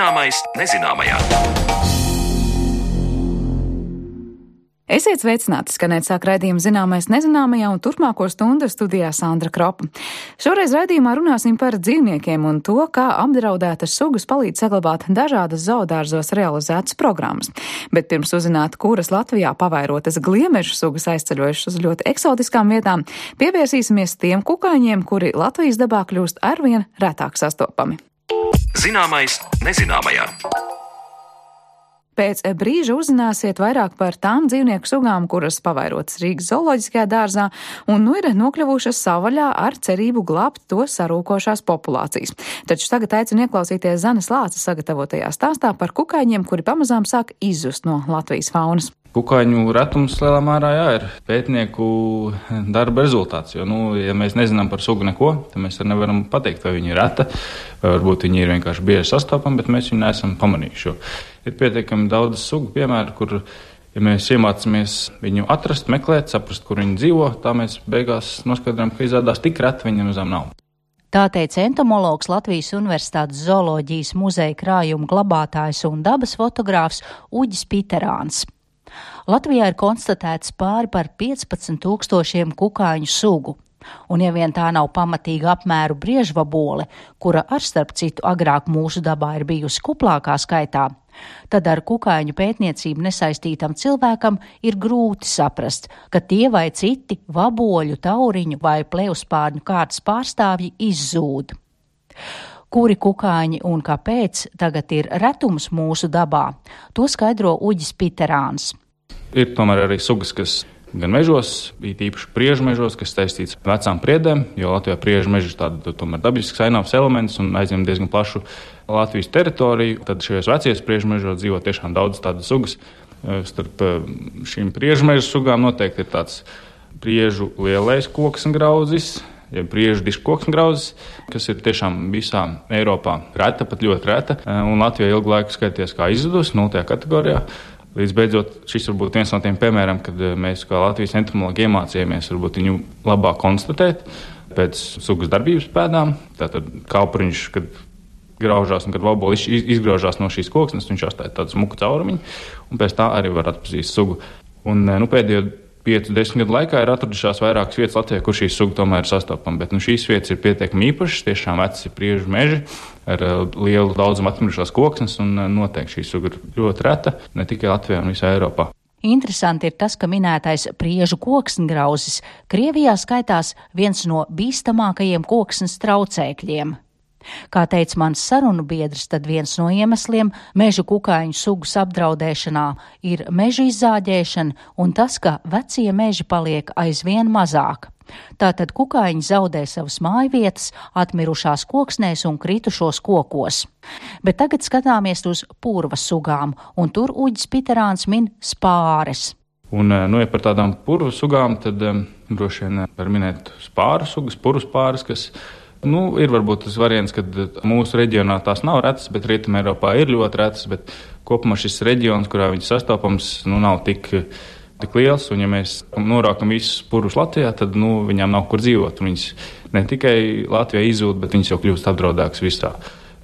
Zināmais nezināmajā. Esiet sveicināti, skanēt sāk raidījumu Zināmais nezināmajā, un turpmāko stundu studijā Sandra Kropa. Šoreiz raidījumā runāsim par dzīvniekiem un to, kā apdraudētas sugas palīdz saglabāt dažādas zoodārzos realizētas programmas. Bet pirms uzzināt, kuras Latvijā pavairotas gliemežu sugas aizceļojušas uz ļoti eksotiskām vietām, pievērsīsimies tiem kukaiņiem, kuri Latvijas dabā kļūst arvien retāk sastopami. Zināmais nezināmajā. Pēc brīža uzzināsiet vairāk par tām dzīvnieku sugām, kuras pavairotas Rīgas zooloģiskajā dārzā un ir nokļuvušas savvaļā ar cerību glābt to sarūkošās populācijas. Taču tagad aicinu ieklausīties Zanes Lāces sagatavotajā stāstā par kukaiņiem, kuri pamazām sāk izzust no Latvijas faunas. Kukaiņu retums lielā mērā ir pētnieku darba rezultāts, jo, ja mēs nezinām par sugu neko, tad mēs arī nevaram pateikt, vai viņa ir reta, vai varbūt viņa ir vienkārši bieži sastopama, bet mēs viņu neesam pamanījuši. Ir pietiekami daudz sugu piemēru, kur, ja mēs iemācāmies viņu atrast, meklēt, saprast, kur viņi dzīvo, tā mēs beigās noskaidrojam, ka izrādās tik reta viņa nemazām nav. Tā teica entomologs Latvijas Universitātes zooloģijas muzeja krājuma glabātājs un dabas fotogrāfs Uģis Piterāns. Latvijā ir konstatēts pāri par 15,000 kukaiņu sugu, un ja vien tā nav pamatīga apmēru briežvabole, kura ar starp citu agrāk mūsu dabā ir bijusi kuplākā skaitā, tad ar kukaiņu pētniecību nesaistītam cilvēkam ir grūti saprast, ka tie vai citi vaboļu, tauriņu vai plevspārņu kārtas pārstāvji izzūd. Kuri kukaiņi un kāpēc tagad ir retums mūsu dabā, to skaidro Uģis Piterāns. Ir tomēr arī sugas, kas gan mežos, īpaši priežu mežos, kas saistīts ar vecām priedēm, jo Latvijā priežu meži ir tāda tomēr dabisks ainavs elements un aizņem diezgan plašu Latvijas teritoriju. Tad šajos vecajos priežu mežos dzīvo tiešām daudz tādas sugas. Starp šīm priežu mežu sugām noteikti ir tāds priežu lielais koksngrauzis, ja priežu diškoksngrauzis, kas ir tiešām visā Eiropā reta, pat ļoti reta, un Latvijā ilgu laiku skaities kā izzudus 0. kategorijā. Līdz beidzot, šis varbūt viens no tiem piemēram, kad mēs kā Latvijas entomologi iemācījāmies varbūt viņu labāk konstatēt pēc sugas darbības pēdām. Tātad kalpriņš, kad graužās un kad vaboli izgraužās no šīs koksnes, viņš atstāja tādu smuku caurumiņu, un pēc tā arī var atpazīt sugu. Un pēdējo 5-10 gadu laikā ir atradušās vairākas vietas Latvijā, kur šī suga tomēr ir sastopama, bet šīs vietas ir pietiekami īpašas, tiešām veci priežu meži ar lielu daudzumu atmirušās koksnes, un noteikti šī suga ir ļoti reta, ne tikai Latvijā un visā Eiropā. Interesanti ir tas, ka minētais priežu koksngrauzis Krievijā skaitās viens no bīstamākajiem koksnes traucēkļiem. Kā teica mans sarunu biedrs, tad viens no iemesliem mežu kukaiņu sugas apdraudēšanā ir meža izzāģēšana un tas, ka vecie meži paliek aizvien mazāk. Tātad kukaiņi zaudē savas mājvietas, atmirušās koksnēs un kritušos kokos. Bet tagad skatāmies uz purva sugām, un tur Uģis Piterāns min spāres. Un, ja par tādām purvu sugām, tad droši vien var minēt spāru sugas, purvu spāres, kas ir varbūt tas variants, kad mūsu reģionā tās nav retas, bet Rietumē Eiropā ir ļoti retas, bet kopumā šis reģions, kurā viņas sastopams, nav tik liels, un ja mēs norākam visus purvus Latvijā, tad viņām nav kur dzīvot. Viņas ne tikai Latvijā izzūd, bet viņas jau kļūst apdraudētas visā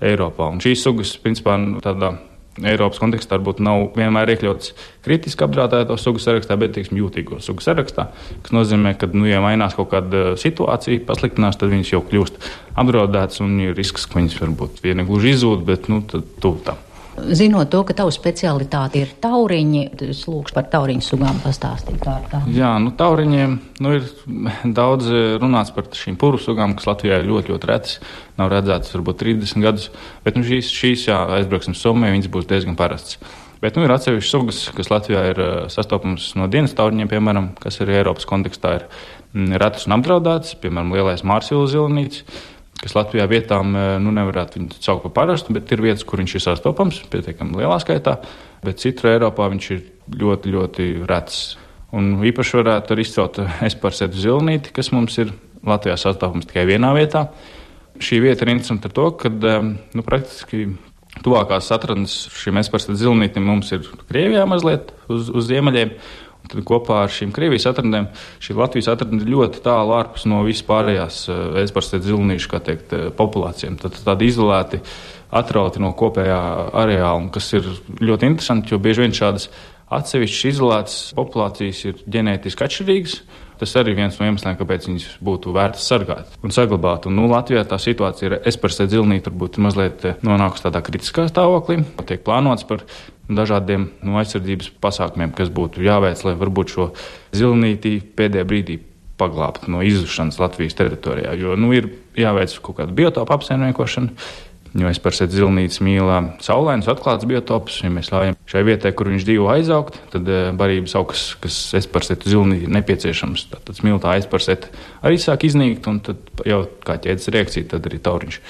Eiropā. Un šīs sugas, principā, tādā Eiropas kontekstā varbūt nav vienmēr iekļauts kritiski apdraudēto sugu sarakstā, bet, jūtīgo sugu sarakstā, kas nozīmē, ka, ja mainās kaut kāda situācija, pasliktinās, tad viņas jau kļūst apdraudētas un ir risks, ka viņas varbūt vienegluži izzūd, bet, tad tuvu tam. Zinot to, ka tavu specialitāte ir tauriņi, es lūkšu par tauriņu sugām pastāstīt. Jā, tauriņiem ir daudz runāts par šīm purvu sugām, kas Latvijā ir ļoti, ļoti retas. Nav redzētas varbūt 30 gadus, bet šīs aizbrauksim Somijā, viņas būs diezgan parastas. Bet ir atsevišķas sugas, kas Latvijā ir sastopamas no dienas tauriņiem, piemēram, kas arī Eiropas kontekstā ir retas un apdraudētas, piemēram, lielais mārsila zilinītis, kas Latvijā vietām nevarētu viņu saukt par parastu, bet ir vietas, kur viņš ir sastopams, pietiekami lielā skaitā, bet citur Eiropā viņš ir ļoti, ļoti rets. Un īpaši varētu arī izcelt esparsētu zilinīti, kas mums ir Latvijā sastopams tikai vienā vietā. Šī vieta ir interesanta ar to, ka praktiski tuvākās atradnes šim esparsētu zilinītim mums ir Krievijā mazliet uz ziemeļiem. Tad kopā ar šīm Krievijas atradnēm šī Latvijas atradne ir ļoti tālu ārpus no vispārējās esparsētu zilinīšu, kā teikt, populācijām. Tad tādi izolēti atrauti no kopējā areāla, kas ir ļoti interesanti, jo bieži vien šādas atsevišķas izolētas populācijas ir ģenētiski atšķirīgas. Tas arī viens no iemesliem, kāpēc viņas būtu vērts sargāt un saglabāt. Un, Latvijā tā situācija ir Espersē dzilnīte varbūt mazliet nonākusi tādā kritiskā stāvoklī. Tiek plānots par dažādiem aizsardzības pasākumiem, kas būtu jāveic, lai varbūt šo zilnīti pēdējā brīdī paglābt no izušanas Latvijas teritorijā. Jo ir jāveic kaut kāda biotopa apsaimniekošana. Jo Espersē dzilnītes mīl saulainus, atklāts biotopus. Ja mēs ļaujam šai vietai, kur viņš dzīvo, aizaugt, tad barības augs, kas Espersē dzilnīte nepieciešams, tad smiltā Espersē arī sāk iznīkt, un tad jau kā ķēdes reakcija, tad arī tauriņš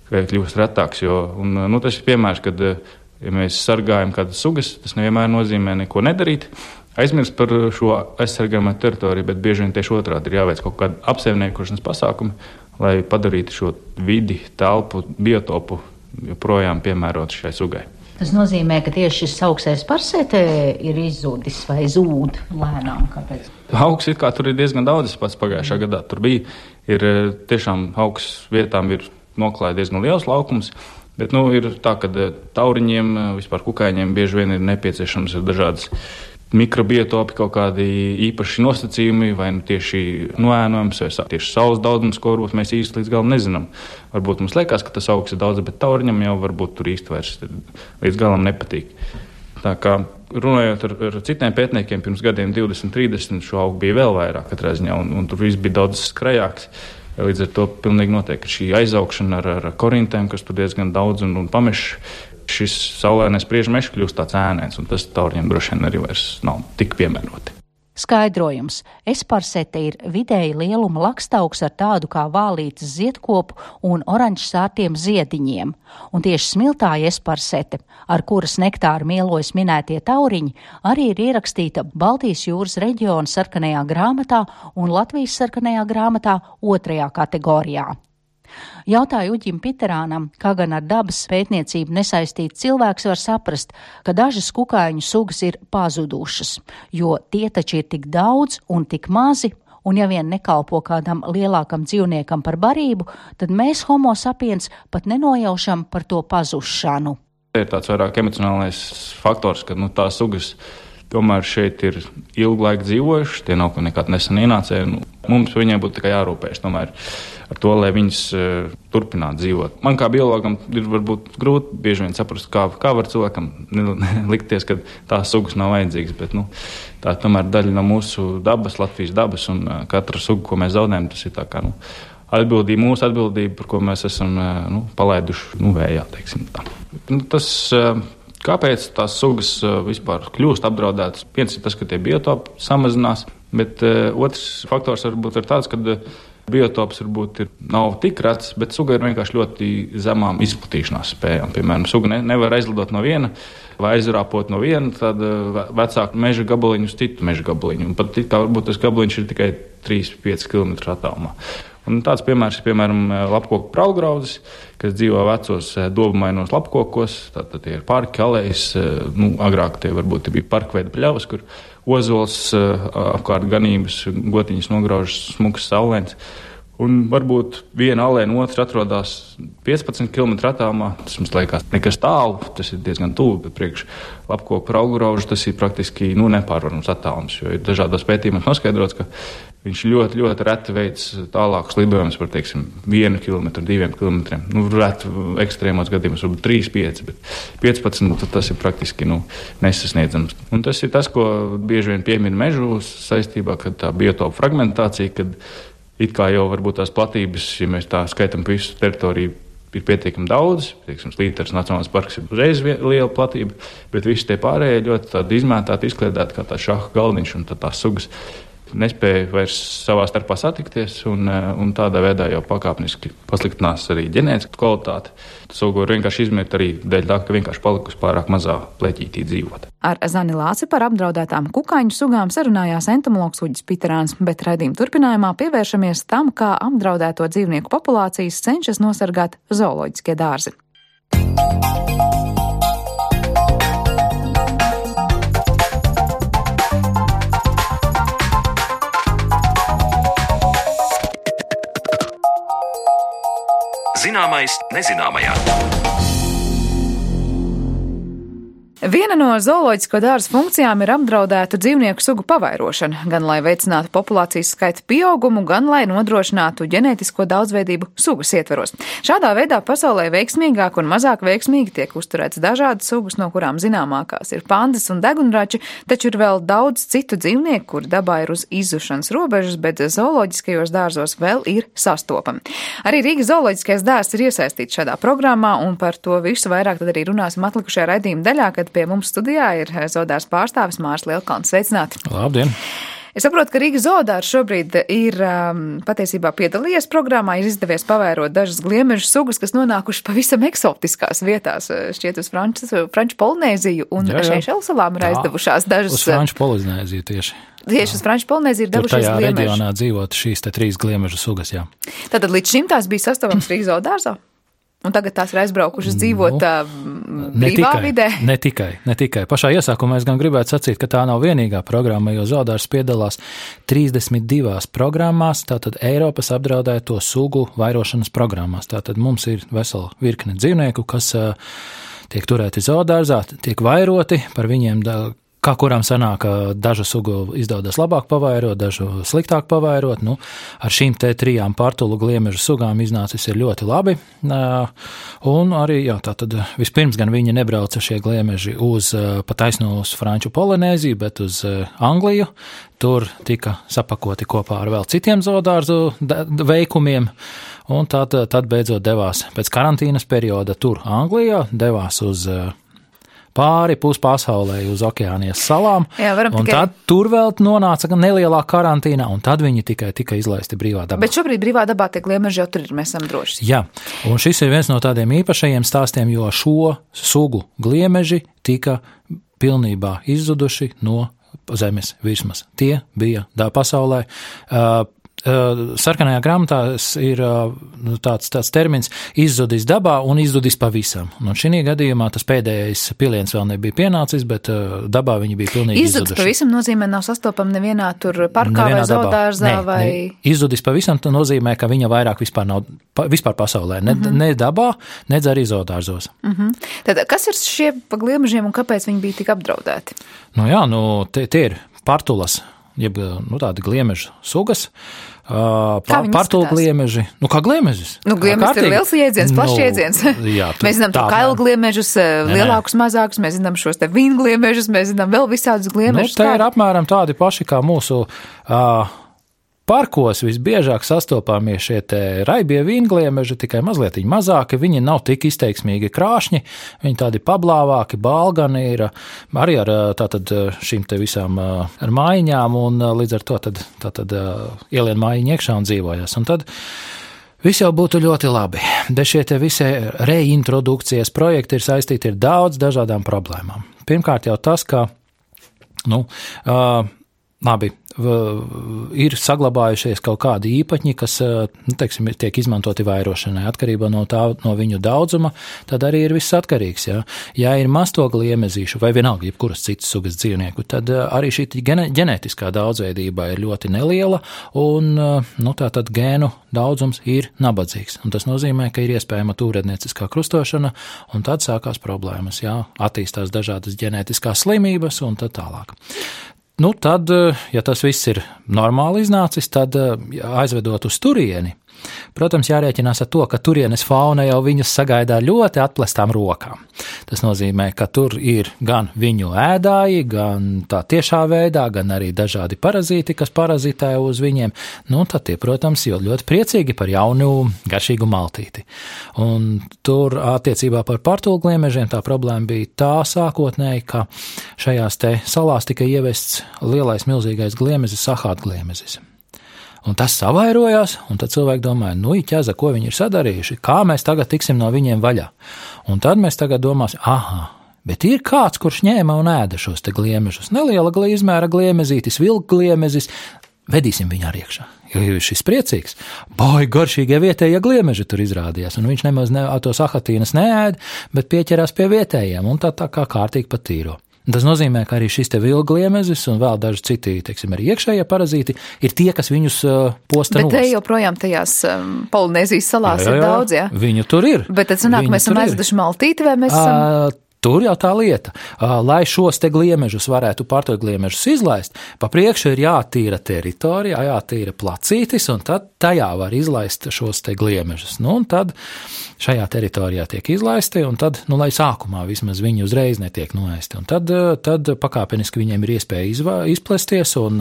kļūst retāks. Tas ir piemērs, kad ja mēs sargājam kādas sugas, tas nevienmēr nozīmē neko nedarīt, aizmirst par šo aizsargājumu teritoriju, bet bieži vien tieši otrādi ir jāveic kaut kāda apsaimniekošanas pasākumi, lai padarītu šo vidi, telpu, biotopu joprojām piemērotu šai sugai. Tas nozīmē, ka tieši šis augs Espersē ir izzudis vai zūd lēnām. Kāpēc? Augs it kā tur ir diezgan daudz, pats pagājušā gadā tur bija. Ir tiešām augs vietām ir noklāja diezgan liels laukums, bet ir tā, ka tauriņiem, vispār kukaiņiem bieži vien ir nepieciešams dažādas mikrobiotopi, kaut kādi īpaši nosacījumi, vai tieši noēnojums, vai tieši saules daudzums, ko varbūt mēs īsti līdz galam nezinām. Varbūt mums liekas, ka tas augs ir daudz, bet tauriņam jau varbūt tur īsti vairs līdz galam nepatīk. Tā kā runājot ar citiem pētniekiem, pirms gadiem 20, 30 šo augu bija vēl vairāk katrā ziņā, un tur viss bija daudz skrajāks. Līdz ar to pilnīgi noteikti šī aizaugšana ar korintēm, kas tur diezgan daudz un pamešs, šis saulainais priežu mežs kļūst tāds ēnēns, un tas tauriņiem droši vien arī vairs nav tik piemēroti. Skaidrojums. Esparsete ir vidēji lieluma lakstaugs ar tādu kā vālītes ziedkopu un oranžsārtiem ziediņiem. Un tieši smiltāja esparsete, ar kuras nektāru mielojas minētie tauriņi, arī ir ierakstīta Baltijas jūras reģiona sarkanajā grāmatā un Latvijas sarkanajā grāmatā 2. kategorijā. Jautāju Uģim Piterānam, kā gan ar dabas pētniecību nesaistīts cilvēks var saprast, ka dažas kukaiņu sugas ir pazudušas, jo tie taču ir tik daudz un tik mazi, un ja vien nekalpo kādam lielākam dzīvniekam par barību, tad mēs homo sapiens pat nenojaušam par to pazušanu. Ir tāds vairāk emocionālais faktors, ka tās sugas tomēr šeit ir ilgu laiku dzīvojuši, tie nav nekad nesen ienācēji. Mums viņiem būtu tikai jārūpējas tomēr ar to, lai viņas turpinātu dzīvot. Man kā biologam ir varbūt grūti bieži vien saprast, kā var cilvēkam likties, ka tās sugas nav vajadzīgas, bet tā tomēr daļa no mūsu dabas, Latvijas dabas, un katra suga, ko mēs zaudējam, tas ir tā kā mūsu atbildība, par ko mēs esam palaiduši vējā, teiksim tā. Kāpēc tās sugas vispār kļūst apdraudētas? Viens ir tas, ka tie biotopi samazinās, bet otrs faktors varbūt ir tāds, ka biotops varbūt nav tik rets, bet suga ir vienkārši ļoti zemām izplatīšanās spējām. Piemēram, suga nevar aizlidot no viena vai aizrāpot no viena tāda vecāka meža gabaliņu uz citu meža gabaliņu. Un pat kā varbūt tas gabaliņš ir tikai 3-5 km attālumā. Un tāds piemērs ir, piemēram, lapkoku praulgraudzis, kas dzīvo vecos dobumainos lapkokos. Tātad tie ir parki, alejas, agrāk tie varbūt bija parkveida pļavas, kur ozols apkārt ganības, gotiņas nograužas smukas saulains. Un varbūt viena alēja no otras atrodas 15 km attālumā. Tas mums liekas nekas tālu, tas ir diezgan tuvu, bet priekš lapkoku praulgraužu tas ir praktiski nepārvarams attālums, jo ir dažādos pētījumos noskaidrots, ka viņš ļoti, ļoti reti veids tālākus lidojumus par, 1 km, 2 km. Reti ekstrēmos gadījumos, varbūt 3-5, bet 15 tas ir praktiski nesasniedzams. Un tas ir tas, ko bieži vien piemin mežu saistībā, kad tā biotopa fragmentācija, kad it kā jau varbūt tās platības, ja mēs tā skaitam visu teritoriju, ir pietiekami daudz. Līteres Nacionālais parks ir uzreiz liela platība, bet visi tie pārējie ļoti tādi izmētāti, izkliedēti kā tā šaha galdiņš, un tās sugas nespēja vairs savā starpā satikties, un tādā veidā jau pakāpeniski pasliktinās arī ģenētiska kvalitāte. Sugu var vienkārši izmirt arī dēļ tā, ka vienkārši palikusi pārāk mazā pleķītī dzīvot. Ar Zani Lāci par apdraudētām kukaiņu sugām sarunājās entomologs Uģis Piterāns, bet raidījuma turpinājumā pievēršamies tam, kā apdraudēto dzīvnieku populācijas cenšas nosargāt zooloģiskie dārzi. Zināmais nezināmajā. Viena no zooloģisko dārza funkcijām ir apdraudētu dzīvnieku sugu pavairošana, gan lai veicinātu populācijas skaita pieaugumu, gan lai nodrošinātu ģenētisko daudzveidību sugas ietveros. Šādā veidā pasaulē veiksmīgāk un mazāk veiksmīgi tiek uzturēts dažādas sugas, no kurām zināmākās ir pandas un degunrači, taču ir vēl daudz citu dzīvnieku, kuri dabā ir uz izzušanas robežas, bet zooloģiskajos dārzos vēl ir sastopami. Arī Rīgas zooloģiskais dārzs ir iesaistīts šādā programmā, un par to visu vairāk tad arī runāsim atlikušajā raidījuma daļā, kad pie mums studijā ir zoodārs pārstāvis Mārs Lielkalns. Sveicināti! Labdien! Es saprotu, ka Rīgas zoodārs šobrīd ir patiesībā piedalījies programmā, ir izdevies pavērot dažas gliemežu sugas, kas nonākušas pavisam eksotiskās vietās, šķiet uz Franču Polinēziju un Seišelu salām ir aizdevušās dažas. Uz Franču Polinēziju tieši. Tieši uz Franču Polinēziju ir devušies gliemeži. Tur tajā reģionā dzīvot šīs te 3 gliemežu sugas, jā. Tātad līdz šim tās bija sastopams Rīgas zoodārzā? Un tagad tās ir aizbraukušas dzīvot brīvā vidē? Ne tikai. Pašā iesākumā es gan gribētu sacīt, ka tā nav vienīgā programma, jo zoodārs piedalās 32 programmās, tātad Eiropas apdraudēto sugu vairošanas programmās. Tātad mums ir vesela virkne dzīvnieku, kas tiek turēti zoodārzā, tiek vairoti, par viņiem kā kurām sanāk, dažu sugu izdodas labāk pavairot, dažu sliktāk pavairot. Nu, ar šīm te 3 partulu gliemežu sugām iznācis ir ļoti labi. Un arī, tātad vispirms gan viņi nebrauca šie gliemeži pa taisnu uz Franču Polinēziju, bet uz Angliju. Tur tika sapakoti kopā ar vēl citiem zoodārzu veikumiem. Un tad beidzot devās pēc karantīnas perioda tur Anglijā, devās uz pāri puspasaulē uz Okeānijas salām, un tad tur vēl nonāca nelielā karantīnā, un tad viņi tikai tika izlaisti brīvā dabā. Bet šobrīd brīvā dabā tie gliemeži jau tur ir, mēs esam droši. Jā, un šis ir viens no tādiem īpašajiem stāstiem, jo šo sugu gliemeži tika pilnībā izzuduši no zemes virsmas. Tie bija pasaulē. Sarkanajā grāmatā ir tāds termins izzudis dabā un izzudis pavisam. Un šī gadījumā tas pēdējais piliens vēl nebija pienācis, bet dabā viņi bija pilnīgi izzuduši. Izzudis pavisam nozīmē nav sastopama nevienā tur parkā vai zoodārzā vai... Izzudis pavisam nozīmē, ka viņa vairāk vispār pasaulē. Ne dabā, nedz arī zoodārzos. Tad kas ir šie pa gliemežiem un kāpēc viņi bija tik apdraudēti? Tie ir partulas, jeb tādi gliemežu sugas, partulu gliemeži. Kā gliemežis? Gliemežs ir liels jēdziens, plašs jēdziens. Mēs zinām kailu gliemežus, lielākus, mazākus, mēs zinām šos te vīngliemežus, mēs zinām vēl visādus gliemežus. Te ir apmēram tādi paši kā mūsu parkos visbiežāk sastopāmies šie te raibie vīngliemeži, tikai mazliet mazāki, viņi nav tik izteiksmīgi krāšņi, viņi tādi pablāvāki, balgani ir arī ar tātad šīm te visām ar mājiņām, un līdz ar to tad ielien mājiņu iekšā un dzīvojas. Un tad viss jau būtu ļoti labi, bet šie te visi reintrodukcijas projekti ir saistīti ar daudz dažādām problēmām. Pirmkārt jau tas, ka, ir saglabājušies kaut kādi īpaņi, kas, tiek izmantoti vairošanai. Atkarībā no viņu daudzuma, tad arī ir viss atkarīgs. Ja ir masto gliemezīšu vai vienalga jebkuras citas sugas dzīvnieku, tad arī šī ģenētiskā daudzveidība ir ļoti neliela, un tātad gēnu daudzums ir nabadzīgs. Un tas nozīmē, ka ir iespējama tūrednieciskā krustošana, un tad sākās problēmas. Attīstās dažādas ģenētiskās slimības un tad tālāk. Tad, ja tas viss ir normāli iznācis, tad aizvedot uz turieni, protams, jārēķinās ar to, ka turienes fauna jau viņus sagaidā ļoti atplestām rokām. Tas nozīmē, ka tur ir gan viņu ēdāji, gan tā tiešā veidā, gan arī dažādi parazīti, kas parazitē uz viņiem. Tad tie, protams, jau ļoti priecīgi par jaunu garšīgu maltīti. Un tur attiecībā par partulgliemežiem tā problēma bija tā sākotnēji, ka šajās te salās tika ievests lielais milzīgais gliemezis, sahātgliemezis. Un tas savairojās, un tad cilvēki domāja, ķeza, ko viņi ir sadarījuši, kā mēs tagad tiksim no viņiem vaļā. Un tad mēs tagad domāsim, bet ir kāds, kurš ņēma un ēda šos te gliemežus. Neliela izmēra gliemezītis, vilkgliemezis, vedīsim viņu arī iekšā. Jo šis priecīgs, garšīgie vietējie gliemeži tur izrādījās, un viņš nemaz to sahatīnas neēd, bet pieķerās pie vietējiem, un tā kā kārtīgi patīro. Tas nozīmē, ka arī šis te vilgliemezis un vēl daži citi, arī iekšējie parazīti ir tie, kas viņus posta nost. Bet te joprojām tajās Polinēzijas salās ir daudz, Viņu tur ir. Bet tad sanāk, mēs esam aizveduši maltīti vai mēs esam... tur jau tā lieta, lai šos te gliemežus varētu pārtot gliemežus izlaist, pa priekšu ir jātīra teritorija, jātīra placītis, un tad tajā var izlaist šos te gliemežus. Nu, un tad šajā teritorijā tiek izlaisti, un tad, lai sākumā vismaz viņi uzreiz netiek noēsti. Un tad pakāpeniski viņiem ir iespēja izplesties un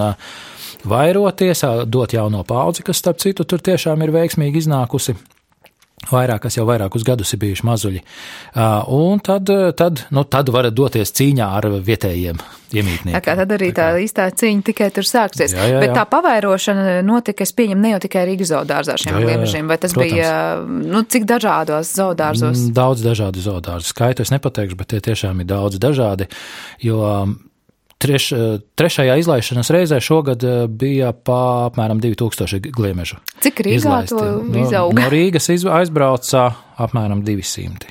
vairoties, dot jauno paudzi, kas, starp citu, tur tiešām ir veiksmīgi iznākusi. Kas jau vairākus gadus ir bijuši mazuļi. Un tad varat doties cīņā ar vietējiem iemītniekiem. Tā kā tad arī tā īstā cīņa tikai tur sāksies. Jā. Bet tā pavairošana notika, es pieņemu, ne jau tikai Rīgas zoodārzā šiem gliemežiem, vai tas protams. Bija, cik dažādos zoodārzos? Daudz dažādu zoodārzu. Skaitu es nepateikšu, bet tie tiešām ir daudz dažādi, jo trešajā izlaišanas reizē šogad bija apmēram 2000 gliemežu. Cik Rīgā to izauga? No Rīgas aizbrauca apmēram 200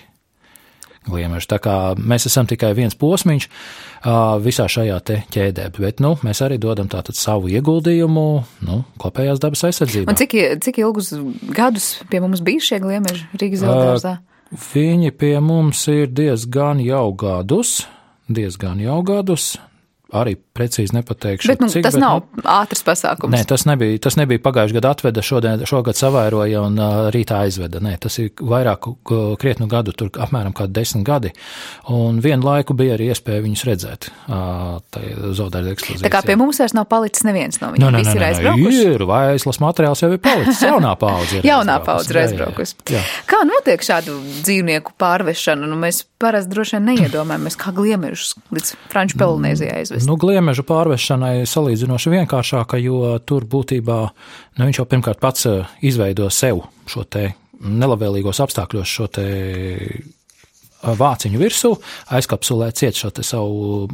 gliemežu. Tā kā mēs esam tikai viens posmiņš visā šajā te ķēdē, bet mēs arī dodam tātad savu ieguldījumu kopējās dabas aizsardzībā. Un cik ilgus gadus pie mums bija šie gliemeži Rīgas zoodārzā? Viņi pie mums ir diezgan jau gadus. Arī precīzi nepateikšu. Bet tas nav ātrs pasākums. Nē, tas nebija pagājuši gadu atveda, šogad savairoja un rītā aizveda. Nē, tas ir vairāk krietnu gadu, tur apmēram kā 10 gadi. Un vienu laiku bija arī iespēja viņus redzēt. Zoodārza ekspozīcijā. Tā kā pie mums vairs nav palicis neviens no viņiem. Visi ir aizbraukuši. Ir, vaislas materiāls jau ir palicis. Jaunā paudze ir aizbraukusi. Kā notiek šādu dzīvnieku pārvešana? Mēs parasti droši vien neiedomājamies, kā gliemežus līdz Franču Polinēzijā aizvest. Gliemežu pārvešanai salīdzinoši vienkāršāka, jo tur būtībā viņš jau pirmkārt pats izveido sev šo te nelabvēlīgos apstākļos šo te vāciņu virsū, aizkapsulē ciet šo te savu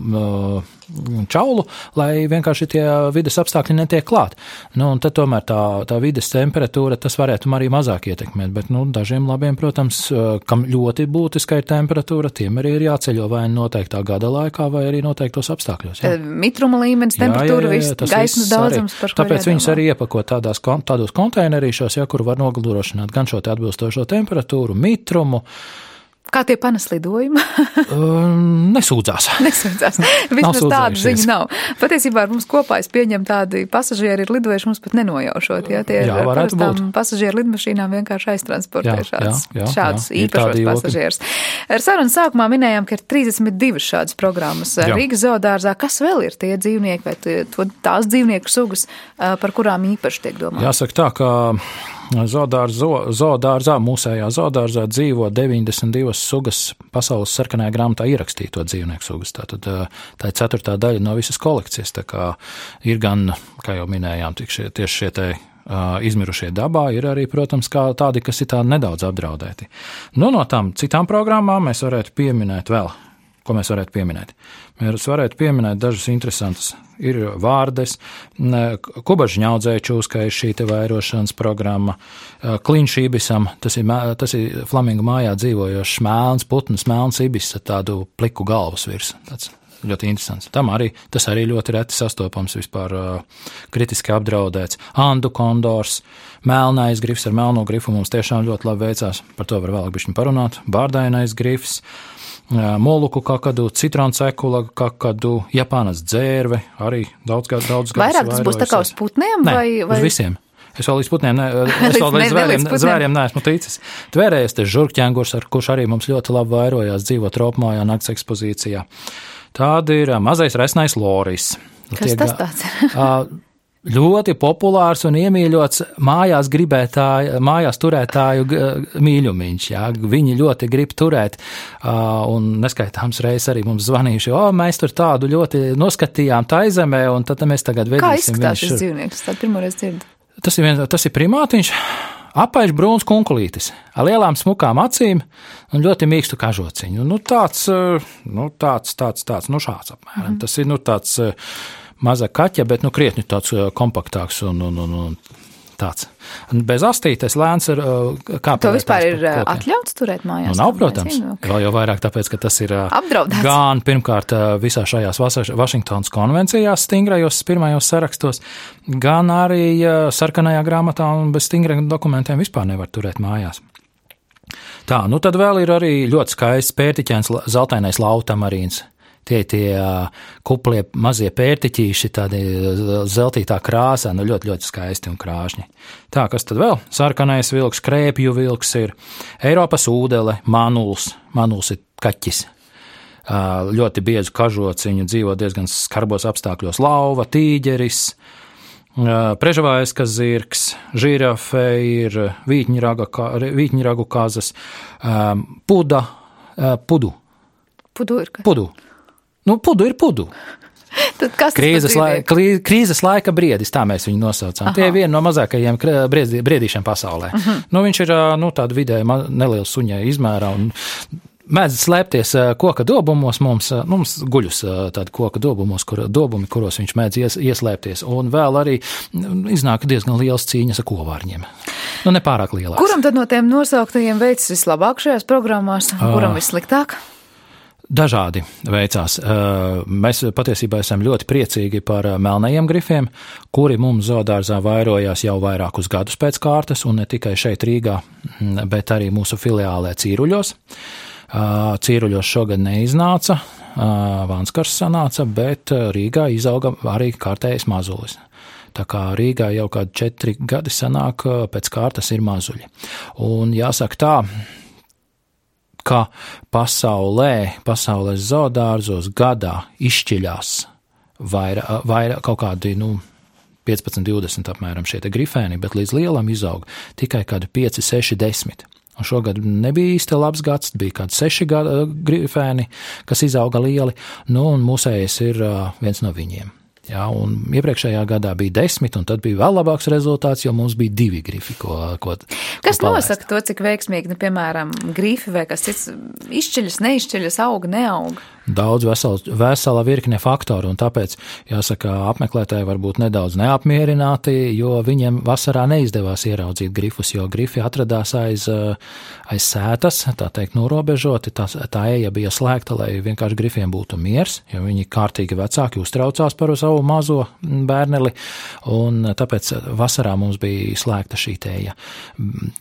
čaulu, lai vienkārši tie vides apstākļi netiek klāt. Un tad tomēr tā vides temperatūra, tas varētu arī mazāk ietekmēt, bet dažiem labiem, protams, kam ļoti būtiska ir temperatūra, tiem arī ir jāceļo vai noteiktā gada laikā, vai arī noteiktos apstākļos. Jā. Mitruma līmenis, temperatūra, gaismas daudzums, par ko tāpēc viņus arī iepako tādos konteinerīšos, kur var nodrošināt gan šo te atbilstošo temperatūru, mitrumu. Kā tie panes lidojumi? Nesūdzās. Vismaz tādu ziņu nav. Patiesībā ar mums kopā es pieņemu tādi pasažieri ir lidojuši mums pat nenojaušot. Ja? Tie ir parastām pasažieru lidmašīnām vienkārši aiztransportē šādus īpašos pasažierus. Ar sarunu sākumā minējām, ka ir 32 šādas programmas Rīgas zoodārzā. Kas vēl ir tie dzīvnieki vai tās dzīvnieku sugas, par kurām īpaši tiek domāts? Jāsaka tā, ka zoodārzā, mūsējā zoodārzā dzīvo 92 sugas pasaules sarkanajā grāmatā ierakstīto dzīvnieku sugas. Tātad tā ir 4. daļa no visas kolekcijas. Tā kā ir gan, kā jau minējām, tieši šie te izmirušie dabā, ir arī, protams, kā tādi, kas ir tādi nedaudz apdraudēti. No tām citām programmām mēs varētu pieminēt vēl. Ko mēs varētu pieminēt? Mēs varētu pieminēt dažas interesantas. Ir vārdes, kubažņaudzēju čūskai ir šī te vairošanas programma, kliņš ibisam, tas ir flamingu mājā dzīvojošs melns putns, melns ibis ar tādu pliku galvas virs. Tāds ļoti interesants. Tas arī ļoti reti sastopams, vispār kritiski apdraudēts. Andu kondors, melnais grifs ar melno grifu mums tiešām ļoti labi veicās. Par to var vēlāk bišķiņ parunāt. Bārdainais grifs. Moluku kakadu, citronsekula kakadu, Japānas dzērve, arī daudz gadus. Vairāk tas būs tā kā uz putniem? Vai? Uz visiem. Es vēl līdz putniem, es vēl līdz zvēriem neesmu ticis. Tvērējies te žurkķēngurs, kurš arī mums ļoti labi vairojās dzīvo tropmājā nakts ekspozīcijā. Tāda ir mazais resnais loris. Kas tas tāds ir? Ļoti populārs un iemīļots mājās turētāju mīļumiņš. Jā. Viņi ļoti grib turēt, un neskaitāms reizes arī mums zvanījuši, mēs tur tādu ļoti noskatījām taizemē, un tad mēs tagad vedīsim. Kā izskatās šis dzīvnieks? Tā pirmoreiz dzirdu. Tas ir primātiņš, apaļš brūns kunkulītis, ar lielām smukām acīm un ļoti mīkstu kažociņu. Tāds, šāds apmēram. Tas ir, tāds maza kaķa, bet krietni tāds kompaktāks un tāds. Bez astītes lēns ir kāpēc. To vispār ir atļauts turēt mājās? Nav, protams. Vēl jau vairāk tāpēc, ka tas ir apdraudēts. Gan pirmkārt visā šajās Vašingtonas konvencijās stingrajos pirmajos sarakstos, gan arī sarkanajā grāmatā un bez stingriem dokumentiem vispār nevar turēt mājās. Tā, nu tad vēl ir arī ļoti skaists pērtiķēns zeltainais lautamarīns. Tie kuplie mazie pērtiķīši, tādi zeltītā krāsā, nu ļoti, ļoti skaisti un krāšņi. Tā, kas tad vēl? Sarkanais vilks, krēpju vilks ir, Eiropas ūdele, manuls. Manuls ir kaķis. Ļoti biezu kažociņu, dzīvo diezgan skarbos apstākļos, lauva, tīģeris, prežavājskas zirgs, žirafe ir, vītņragu kazas, pudu. Pudu ir kas? Pudu. Nu, pudu ir pudu. Tad kas Krīzes laika briedis, tā mēs viņu nosaucām. Aha. Tie ir viena no mazākajiem briedīšiem pasaulē. Nu, viņš ir tāda vidēji neliela suņai izmērā un mēdz slēpties koka dobumos, mums guļus tādi koka dobumos, kuros viņš mēdz ieslēpties, un vēl arī iznāk diezgan liels cīņas ar kovārņiem. Nu, nepārāk lielās. Kuram tad no tiem nosauktajiem veicas vislabāk šajās programmās, kuram vissliktāk? Dažādi veicās. Mēs patiesībā esam ļoti priecīgi par melnajiem grifiem, kuri mums zoodārzā vairojās jau vairākus gadus pēc kārtas, un ne tikai šeit Rīgā, bet arī mūsu filiālē Cīruļos. Cīruļos šogad neiznāca, Vanskars sanāca, bet Rīgā izauga arī kārtējais mazulis. Tā kā Rīgā jau kādi 4 gadi sanāk, pēc kārtas ir mazuļi. Un jāsaka tā, ka pasaules zoodārzos gadā izšķiļās vairāk kaut kādi, 15-20 apmēram šie te grifēni, bet līdz lielam izaug tikai kādi 5, 6, 10. Un šogad nebija īsti labs gads, bija kādi 6 grifēni, kas izauga lieli, un mūsējais ir viens no viņiem. Jā, un iepriekšējā gadā bija 10, un tad bija vēl labāks rezultāts, jo mums bija 2 grifi, Kas nosaka to, cik veiksmīgi, piemēram, grifi vai kas cits izšķiļas, neizšķiļas, auga, neauga? Daudz vesela virkne faktoru, un tāpēc, jāsaka, apmeklētāji var būt nedaudz neapmierināti, jo viņiem vasarā neizdevās ieraudzīt grifus, jo grifi atradās aiz sētas, tā teikt, norobežoti, tā eja bija slēgta, lai vienkārši grifiem būtu miers, jo viņi kārtīgi vecāki uztraucās par savu mazo bērneli, un tāpēc vasarā mums bija slēgta šī eja.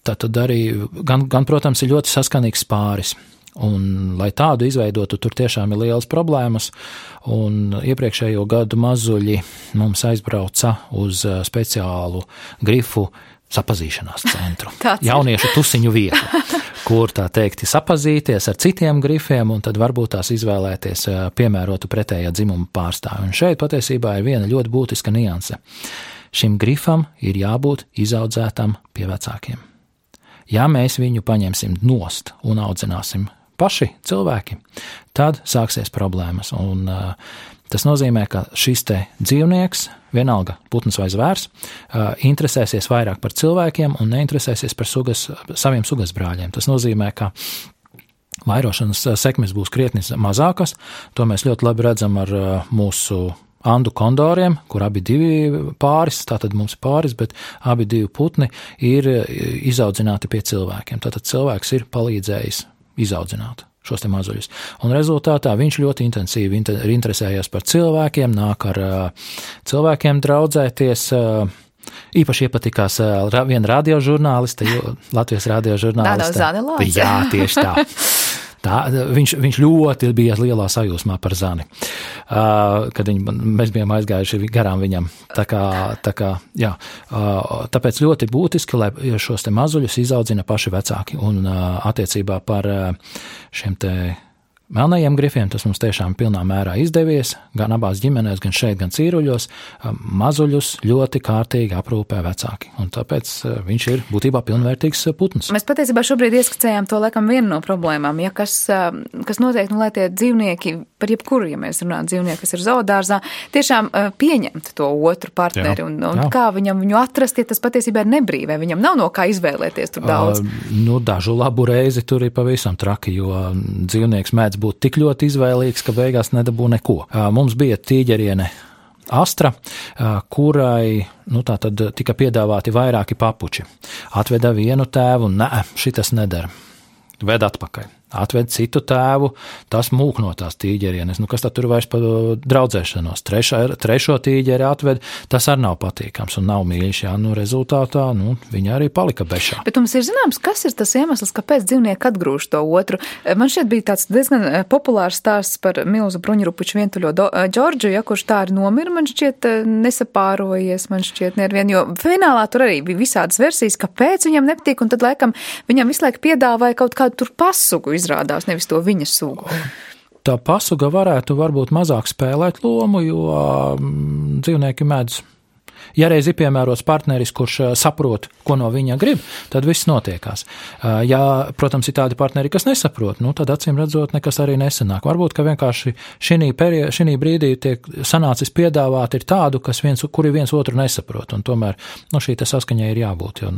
Tad arī, gan, protams, ir ļoti saskanīgs pāris. Un, lai tādu izveidotu, tur tiešām ir lielas problēmas, un iepriekšējo gadu mazuļi mums aizbrauca uz speciālu grifu sapazīšanās centru. Jauniešu tusiņu vietu, kur, tā teikt, sapazīties ar citiem grifiem, un tad varbūt tās izvēlēties piemērotu pretējā dzimuma pārstāvi. Un šeit patiesībā ir viena ļoti būtiska nianse. Šim grifam ir jābūt izaudzētam pie vecākiem. Ja mēs viņu paņemsim nost un audzināsim paši cilvēki, tad sāksies problēmas. Un tas nozīmē, ka šis te dzīvnieks, vienalga putns vai zvērs, interesēsies vairāk par cilvēkiem un neinteresēsies par saviem sugasbrāļiem. Tas nozīmē, ka vairošanas sekmes būs krietni mazākas. To mēs ļoti labi redzam ar mūsu andu kondoriem, kur abi 2 pāris, tātad mums pāris, bet abi 2 putni ir izaudzināti pie cilvēkiem. Tātad cilvēks ir palīdzējis izaudzināt šos te mazuļus. Un rezultātā viņš ļoti intensīvi interesējās par cilvēkiem, nāk ar cilvēkiem draudzēties. Īpaši iepatikās viena radiožurnāliste, Latvijas radiožurnāliste. Tāda Zani. Jā, tieši tā. Viņš ļoti bija lielā sajūsmā par Zani, kad mēs bijām aizgājuši garām viņam. Tāpēc ļoti būtiski, lai šos te mazuļus izaudzina paši vecāki. Un attiecībā par šiem te melnajiem grifiem tas mums tiešām pilnā mērā izdevies, gan abās ģimenēs, gan šeit, gan Cīruļos. Mazuļus ļoti kārtīgi aprūpē vecāki, un tāpēc viņš ir būtībā pilnvērtīgs putns. Mēs patiesībā šobrīd ieskicējām to laikam vienu no problēmām, ja kas notiek, lai tie dzīvnieki, par jebkuru, ja mēs runājam dzīvnieki, kas ir zoodārzā, tiešām pieņemt to otru partneri, un kā viņu atrast, ja tas patiesībā ir nebrīvē, viņam nav no kā izvēlēties tur daudz. Dažu labu reizi tur ir pavisam traki, jo dzīvnieks mēdz būt tik ļoti izvēlīgs, ka beigās nedabū neko. Mums bija tīģeriene Astra, kurai tātad tika piedāvāti vairāki papuči. Atveda vienu tēvu un šitas nedara. Ved atpakaļ. atved citu tēvu, tas mūk no tās tīģerienes. Kas tad tur vairs par draudzēšanos? Trešo tīģeri atved, tas arī nav patīkams un nav mīļš. Rezultātā viņa arī palika bešā. Bet mums ir zināms, kas ir tas iemesls, kāpēc dzīvnieki atgrūž to otru. Man šķiet bija tāds diezgan populārs stāsts par milzu bruņurupuču vientuļo Džordžu, kurš tā arī nomira, man šķiet nesapārojies, man šķiet nervien, jo finālā tur arī bija visādas versijas, kāpēc viņam nepatīk, un tad laikam viņam visu laiku piedāvāja kaut kādu tur pasugu izrādās, nevis to viņa sugu. Tā pasuga varētu varbūt mazāk spēlēt lomu, jo dzīvnieki mēdz. Ja reiz ir piemērots partneris, kurš saprot, ko no viņa grib, tad viss notiekās. Ja, protams, ir tādi partneri, kas nesaprot, tad acīm redzot nekas arī nesanāk. Varbūt, ka vienkārši šī brīdī tiek sanācis piedāvāt ir tādu, kuri viens otru nesaprot, un tomēr šī saskaņai ir jābūt, jo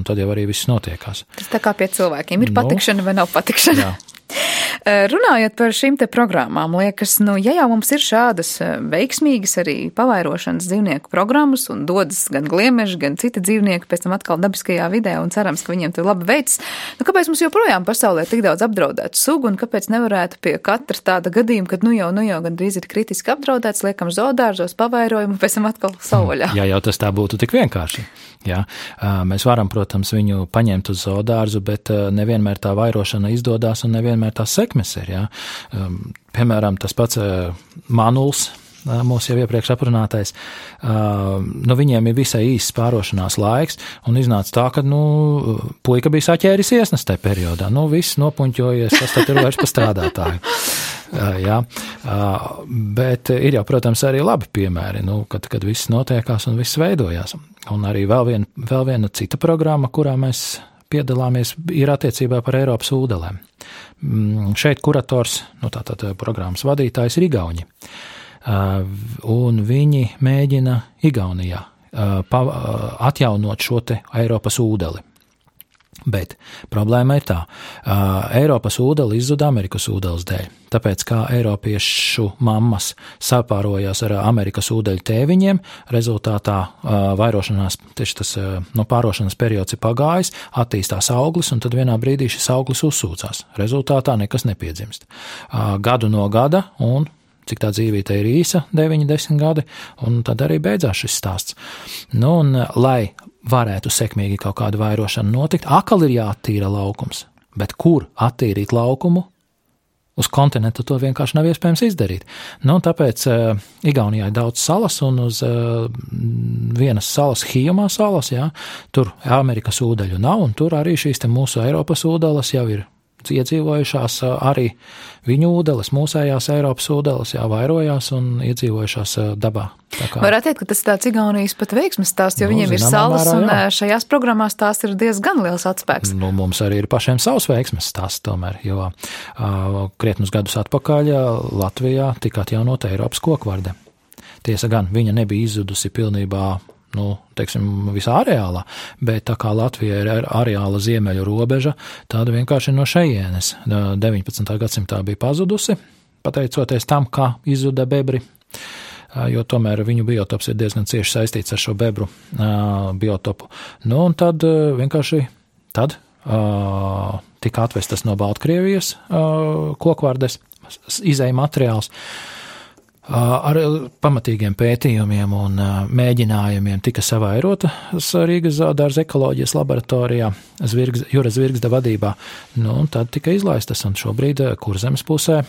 tad jau arī viss notiekās. Tas tā kā pie cilvēkiem ir patikšana vai nav patikšana? Jā. Runājot par šīm te programmām, liekas, ja jau mums ir šādas veiksmīgas arī pavairošanas dzīvnieku programmas un dodas gan gliemeži, gan citi dzīvnieki pēc tam atkal dabiskajā vidē un cerams, ka viņiem tur labi veicas, kāpēc mums joprojām pasaulē tik daudz apdraudētu sugu un kāpēc nevarētu pie katra tāda gadījuma, kad nu jau gandrīz ir kritiski apdraudēts, liekam zoodārzos, pavairojumu, pēc tam atkal savvaļā? Jā, jau tas tā būtu tik vienkārši. Jā, mēs varam, protams, viņu paņemt uz zoodārzu, bet nevienmēr tā vairošana izdodās un nevienmēr tās sekmes ir. Jā. Piemēram, tas pats manuls, mūsu jau iepriekš aprunātais, viņiem ir visai īsts pārošanās laiks, un iznāca tā, ka, puika bija saķēris iesnas tajā periodā. Viss nopuņķojies, kas tad ir vairs pa strādātāju. Jā, bet ir jau, protams, arī labi piemēri, kad viss notiekās un viss veidojās. Un arī vēl viena cita programma, kurā mēs piedalāmies, ir attiecībā par Eiropas ūdelēm. Šeit kurators, tātad programmas vadītājs ir Igauņi. Un viņi mēģina Igaunijā atjaunot šo te Eiropas ūdeli. Bet problēma ir tā, Eiropas ūdeli izzuda Amerikas ūdeles dēļ, tāpēc kā eiropiešu mammas sapārojās ar Amerikas ūdeļu tēviņiem, rezultātā vairošanās, tieši tas pārošanas periods ir pagājis, attīstās auglis, un tad vienā brīdī šis auglis uzsūcās. Rezultātā nekas nepiedzimst. Gadu no gada, un cik tā dzīvīte ir īsa, 9-10 gadi, un tad arī beidzās šis stāsts. Un lai varētu sekmīgi kaut kāda vairošana notikt, atkal ir jāattīra laukums. Bet kur attīrīt laukumu? Uz kontinentu to vienkārši nav iespējams izdarīt. Tāpēc Igaunijā ir daudz salas, un uz vienas salas, Hijumā salas, tur Amerikas ūdeļu nav, un tur arī šīs te mūsu Eiropas ūdeles jau ir iedzīvojušās, arī viņu ūdeles, mūsējās Eiropas ūdeles, vairojās un iedzīvojušās dabā. Varētu teikt, ka tas ir tāds Igaunijas pat veiksmes stāsts, jo viņiem ir salas, un šajās programmās tās ir diezgan liels atspēks. Mums arī ir pašiem savs veiksmes stāsts tomēr, jo krietnus gadus atpakaļ Latvijā tika atjaunota Eiropas kokvarde. Tiesa gan, viņa nebija izzudusi pilnībā visā areālā, bet tā kā Latvija ir areāla ziemeļu robeža, tāda vienkārši no šejienes 19. gadsimtā bija pazudusi, pateicoties tam, kā izzuda bebri, jo tomēr viņu biotops ir diezgan cieši saistīts ar šo bebru biotopu. Un tad vienkārši tika atvestas no Baltkrievijas kokvardes izēja materiāls. Ar pamatīgiem pētījumiem un mēģinājumiem tika savairota Rīgas zoodārza ekoloģijas laboratorijā Jura Zvirgzda vadībā. Un tad tika izlaistas, un šobrīd Kurzemes pusē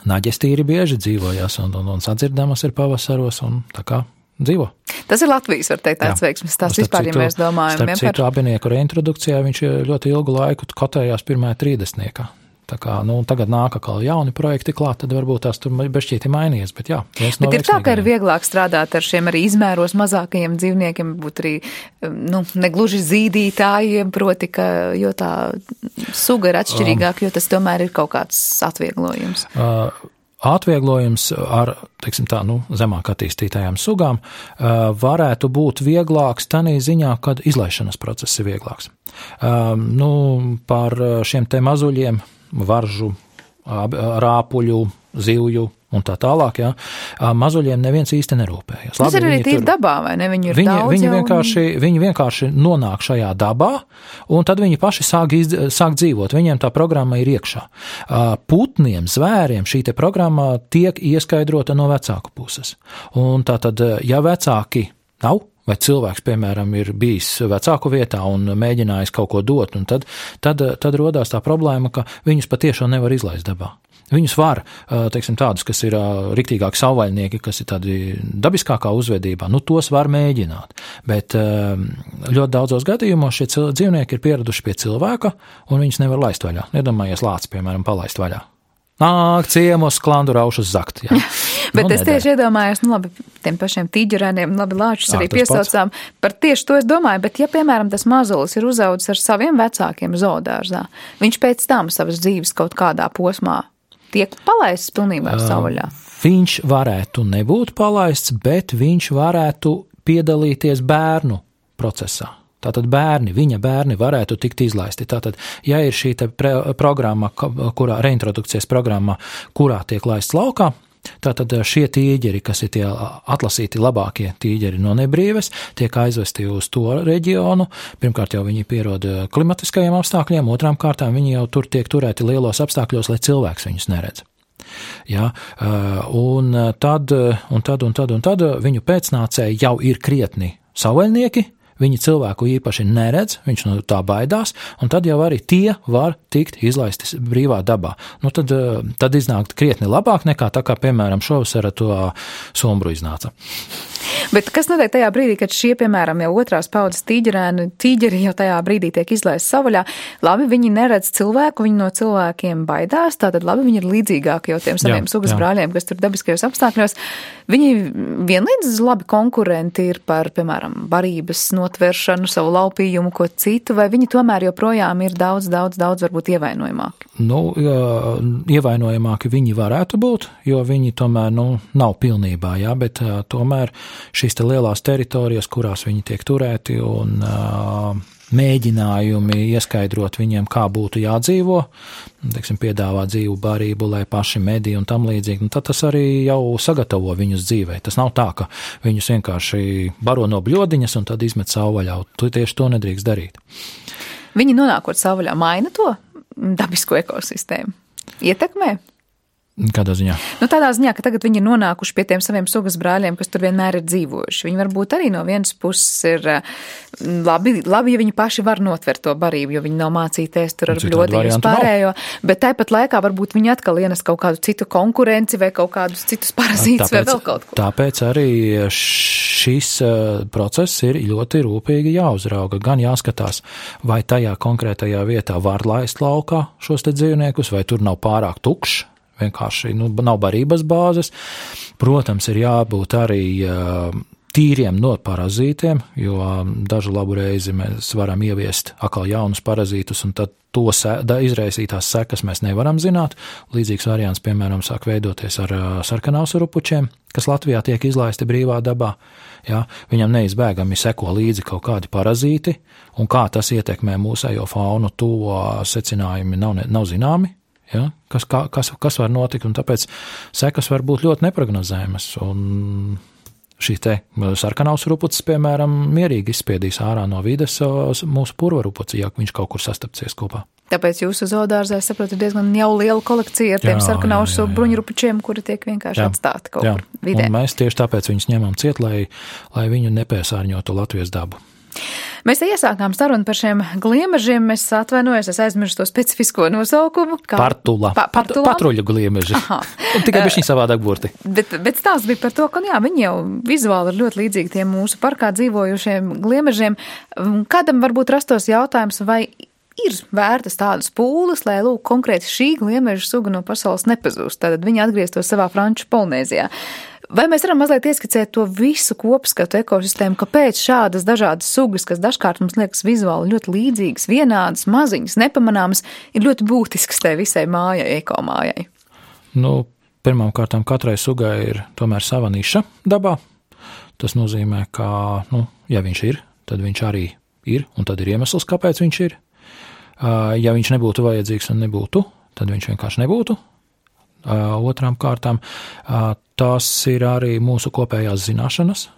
naģes tīri bieži dzīvojās un sadzirdamas ir pavasaros, un tā kā dzīvo. Tas ir Latvijas, var teikt, tāds veiksmes stāsts vispār, ja mēs domājam. Starp citu, abinieku reintrodukcijā viņš ļoti ilgu laiku kotējās pirmajā 30. Tā kā, tagad nāk atkal jauni projekti klāt, tad varbūt tās tur bešķīti mainījies, bet jā. Bet ir tā, ka ir vieglāk strādāt ar šiem arī izmēros mazākajiem dzīvniekiem, būt arī, negluži zīdītājiem, proti, jo tā suga ir atšķirīgāk, jo tas tomēr ir kaut kāds atvieglojums. Atvieglojums ar, zemāk attīstītajām sugām varētu būt vieglāks tanī ziņā, kad izlaišanas process ir vieglāks. Par šiem te mazuļiem, varžu, rāpuļu, zivju, un tā tālāk, jā. Mazuļiem neviens īsti nerūpējas. Tas ir arī tīri dabā, vai ne? Viņi ir daudz viņi vienkārši nonāk šajā dabā, un tad viņi paši sāk dzīvot. Viņiem tā programma ir iekšā. Putniem, zvēriem šī te programma tiek ieskaidrota no vecāku puses. Un tātad, ja vecāki nav, vai cilvēks, piemēram, ir bijis vecāku vietā un mēģinājis kaut ko dot, un tad rodās tā problēma, ka viņus patiešām nevar izlaist dabā. Viņus var, teiksim, tādus, kas ir riktīgāki savvaļnieki, kas ir tādi dabiskākā uzvedībā, tos var mēģināt. Bet ļoti daudzos gadījumos šie dzīvnieki ir pieraduši pie cilvēka, un viņus nevar laist vaļā. Iedomājies lācis, piemēram, palaist vaļā. Nāk ciemos, klandu raušas zakt. Jā. Bet es tieši iedomājos, labi, tiem pašiem tīģerēniem, labi, lāčus arī piesaucām. Par tieši to es domāju, bet ja, piemēram, tas mazulis ir uzaudzis ar saviem vecākiem zoodārzā, viņš pēc tam savas dzīves kaut kādā posmā tiek palaists pilnībā savvaļā? Viņš varētu nebūt palaists, bet viņš varētu piedalīties bērnu procesā. Tātad viņa bērni varētu tikt izlaisti. Tātad, ja ir šī programma, reintrodukcijas programma, kurā tiek laists laukā, tātad šie tīģeri, kas ir tie atlasīti labākie tīģeri no nebrīves, tiek aizvesti uz to reģionu. Pirmkārt jau viņi pierod klimatiskajiem apstākļiem, otrām kārtām viņi jau tur tiek turēti lielos apstākļos, lai cilvēks viņus neredz. Ja, un tad viņu pēcnācēji jau ir krietni savvaļnieki, viņi cilvēku īpaši neredz, viņš no tā baidās, un tad jau arī tie var tikt izlaisti brīvā dabā. Tad iznāk krietni labāk nekā tā kā, piemēram, šovasar ar to sombru iznāca. Bet kas notiek tajā brīdī, kad šie, piemēram, jau otrās paudzes tīģeri jau tajā brīdī tiek izlaisti savvaļā? Labi, viņi neredz cilvēku, viņi no cilvēkiem baidās, tātad labi, viņi ir līdzīgāki jau tiem saviem sugas brāļiem, kas tur dabiskajos apstākļos. Viņi vienlīdz labi konkurenti ir par, piemēram, barības notveršanu, savu laupījumu, ko citu, vai viņi tomēr joprojām ir daudz varbūt ievainojamāki? Ievainojamāki viņi varētu būt, jo viņi tomēr, nav pilnībā, jā, bet tomēr šīs te lielās teritorijas, kurās viņi tiek turēti un mēģinājumi ieskaidrot viņiem, kā būtu jādzīvo, teiksim, piedāvāt dzīvu barību, lai paši medī un tam līdzīgi, tad tas arī jau sagatavo viņus dzīvē. Tas nav tā, ka viņus vienkārši baro no bļodiņas un tad izmet savvaļā. Tieši to nedrīkst darīt. Viņi nonākot savvaļā maina to dabisko ekosistēmu? Ietekmē? Kādā ziņā? Tādā ziņā, ka tagad viņi ir nonākuši pie tiem saviem sugas brāļiem, kas tur vienmēr ir dzīvojuši. Viņi varbūt arī no vienas puses ir labi, ja viņi paši var notvert to barību, jo viņi nav mācīties tur ar bļodiņus pārējo, bet tāpat laikā varbūt viņi atkal ienes kaut kādu citu konkurenci vai kaut kādus citus parazītus vai vēl kaut ko. Tāpēc arī šis process ir ļoti rūpīgi jāuzrauga. Gan jāskatās, vai tajā konkrētajā vietā var laist laukā šos te dzīvniekus, vai tur nav pārāk tukšs. Vienkārši nav barības bāzes. Protams, ir jābūt arī tīriem no parazītiem, jo dažu labu reizi mēs varam ieviest atkal jaunus parazītus, un tad to izraisītās sekas mēs nevaram zināt. Līdzīgs variants, piemēram, sāk veidoties ar sarkanausurupučiem, kas Latvijā tiek izlaisti brīvā dabā. Ja, viņam neizbēgami seko līdzi kaut kādi parazīti, un kā tas ietekmē mūsējo faunu, to secinājumi nav zināmi. Ja, kas var notikt, un tāpēc sekas var būt ļoti neprognozējamas. Un šī te sarkanausurupucis, piemēram, mierīgi izspiedīs ārā no vides mūsu purvarupuci, ja viņš kaut kur sastapsies kopā. Tāpēc jūsu zoodārzā, es saprotu, ir diezgan jau liela kolekcija ar tiem sarkanausu bruņurupučiem, kuri tiek vienkārši atstāti kaut kur vidē. Un mēs tieši tāpēc viņus ņemam ciet, lai viņu nepiesārņotu Latvijas dabu. Mēs te iesākām sarunu par šiem gliemežiem. Es atvainojos, es aizmirsu to specifisko nosaukumu. Partula. Patruļu gliemeži. Tikai bišķiņ savādāk burti. Bet stāsts bija par to, ka viņi jau vizuāli ir ļoti līdzīgi tiem mūsu parkā dzīvojušiem gliemežiem. Kādam varbūt rastos jautājums, vai ir vērtas tādas pūles, lai konkrēti šī gliemeža suga no pasaules nepazūst. Tātad viņi atgrieztos savā Franču Polinēzijā. Vai mēs varam mazliet ieskicēt to visu kopskatu ekosistēmu, kāpēc šādas dažādas sugas, kas dažkārt mums liekas vizuāli ļoti līdzīgas, vienādas, maziņas, nepamanāmas, ir ļoti būtiskas tai visai mājai, ekomājai? Pirmām kārtām katrai sugai ir tomēr sava niša dabā. Tas nozīmē, ka, ja viņš ir, tad viņš arī ir, un tad ir iemesls, kāpēc viņš ir. Ja viņš nebūtu vajadzīgs un nebūtu, tad viņš vienkārši nebūtu. Otrām kārtām tās ir arī mūsu kopējās zināšanas.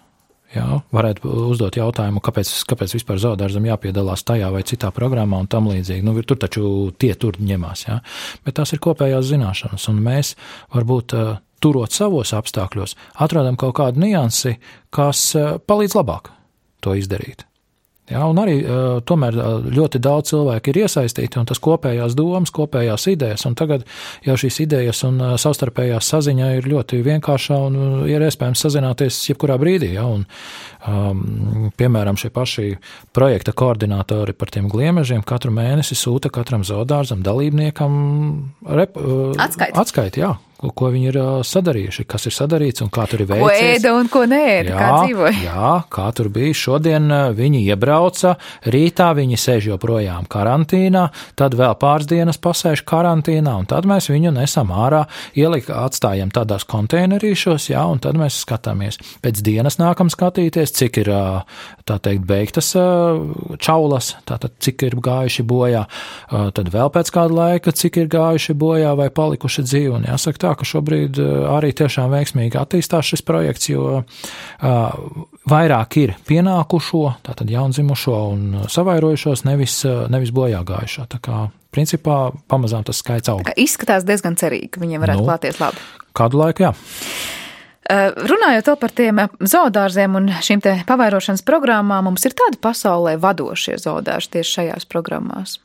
Jā, varētu uzdot jautājumu, kāpēc vispār zoodārzam jāpiedalās tajā vai citā programmā un tam līdzīgi. Nu, tur taču tur ņemās, jā. Bet tās ir kopējās zināšanas, un mēs varbūt turot savos apstākļos, atrodam kaut kādu niansi, kas palīdz labāk to izdarīt. Jā, un arī tomēr ļoti daudz cilvēku ir iesaistīti, un tas kopējās domas, kopējās idejas, un tagad jau šīs idejas un savstarpējās saziņa ir ļoti vienkāršā un ir iespējams sazināties jebkurā brīdī. Jā, un, piemēram, šie paši projekta koordinātori par tiem gliemežiem katru mēnesi sūta katram zoodārzam dalībniekam atskaiti, jā. Ko viņi ir sadarījuši, kas ir sadarīts un kā tur ir veicies. Ko ēda un ko neēda, kā dzīvoja. Jā, kā tur bija. Šodien viņi iebrauca, rītā viņi sēž joprojām karantīnā, tad vēl pāris dienas pasēž karantīnā, un tad mēs viņu nesam ārā, atstājam tādās konteinerīšos, jā, un tad mēs skatāmies. Pēc dienas nākam skatīties, cik ir, tā teikt, beigtas čaulas, tātad cik ir gājuši bojā, tad vēl pēc kāda laika, cik ir gājuši bojā vai palikuši dzīvi, un jāsaka tā, ka šobrīd arī tiešām veiksmīgi attīstās šis projekts, jo vairāk ir pienākušo, tātad jaundzimušo un savairojušos, nevis bojā gājušo. Tā kā, principā, pamazām tas skaits aug. Izskatās diezgan cerīgi, ka viņiem varētu klāties labi. Kādu laiku, jā. Runājot vēl par tiem zoodārziem un šīm te pavairošanas programmām, mums ir tādi pasaulē vadošie zoodārzi tieši šajās programmās?